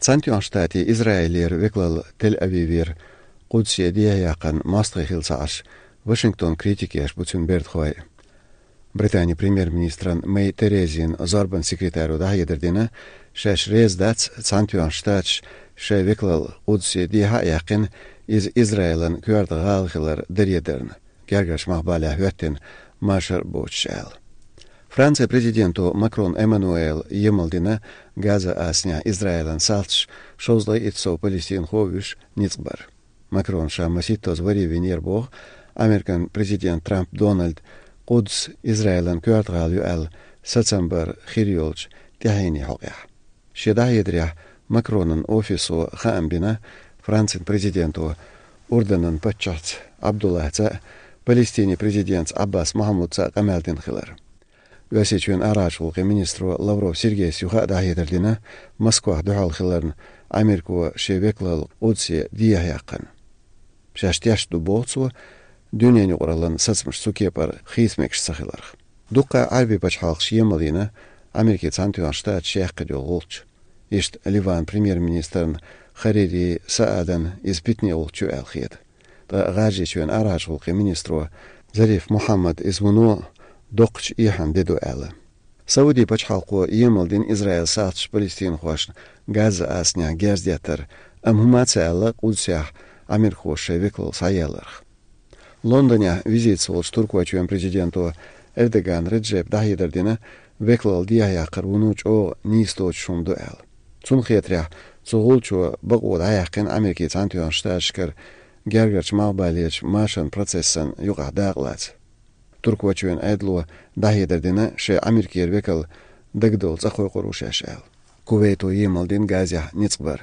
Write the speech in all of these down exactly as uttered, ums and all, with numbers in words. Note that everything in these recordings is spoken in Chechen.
Цхьаьнатоьхначу Штатийн Израилера векалалла Тель-Авивера Къудсе дехьаяккхарна мостагӀий хилла ца Ӏаш, Вашингтон критика еш бу цуьнан бердахой. Британин премьер-министран Мэй Терезин зорбанан секретаро дӀахьедар дина, шаьш реза дац, Цхьаьнатоьхначу Штаташа шайн векалалла Къудсе дехьа а яьккхина, иза Израилан коьрта гӀала хилар даре дарна, гергарчу малхбалехь хӀоьттина машар а боцуш аьлла. Францин президенто Макрон Эммануэла емал дина Газа-Ассанехь Израилан салташа шовзткъе итт сов палестинхо а вуьйш ницкъ бар. Макрона ша масийттаза варе винера боху Американ президент Трамп Дональд Къудс Израилан коьрта гӀала ю аьлла сацам бар хир йолчу тӀаьхьенан хьокъехь. Шен дӀахьедарехь Макронан офисо хаам бина Францин президенто Урданан паччахьца Абдуллахьца а, Палестинин президентца Аббас Махьмудца а къамел дина хилар. Оьрсийчоьнан арахьарчу гӀуллакхийн министро Лавров Сергейс юха а дӀахьедар дина Москвахь дуьхьал хиларна, Америко шен векалалла Къудсе дехьаяккхарна. Шаьш тешна ду, боху цо, дуьненан юкъараллин сацамаш цу кепара хийца мегаш ца хиларх. Дуккха а Ӏаьрбийн пачхьалкхаша емал йина Америкин Цхьаьнатоьхначу Штаташа яьккхина йолу гӀулч. Иштта Ливанан премьер-министрна Харири Саадан иза питане гӀулч ю аьлла хета. Ткъа ГӀажарийчоьнан арахьарчу гӀуллакхийн министро Зариф Мухьаммада иза вуно доккхачу эхьан де ду аьлла. Саудийн пачхьалкхо емал дина Израилан салташа палестинхошна Газа-Ассанехь герз деттар, амма хӀума ца аьлла Къудсехь америкахоша шайн векалалла схьаелларх. Лондонехь визитаца волчу Туркойчоьнан президенто Эрдоган Реджепа дӀахьедар дина, векалалла дехьаяккхар вуно чӀогӀа нийса доцуш хӀума ду аьлла. Цунна хетарехь, цу гӀулчо бакъо дӀаяьккхина Америкин Цхьаьнатоьхначу Штаташкара гергарчу малхбалерчу машаран процессан юкъахь дакъа лаца. Туркойчоьнан Ӏедало дӀахьедар дина, шайн Америкера векал дагадовла цӀа кхойкхур ву шаьш аьлла. Кувейто емал дина Газехь ницкъ бар.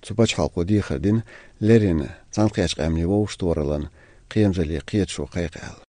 Цу пачхьалкхо дехар дина, леррина Цхьаьнакхеттачу Къаьмнийн вовшахтохараллин кхерамзаллин кхеташо кхайкха аьлла.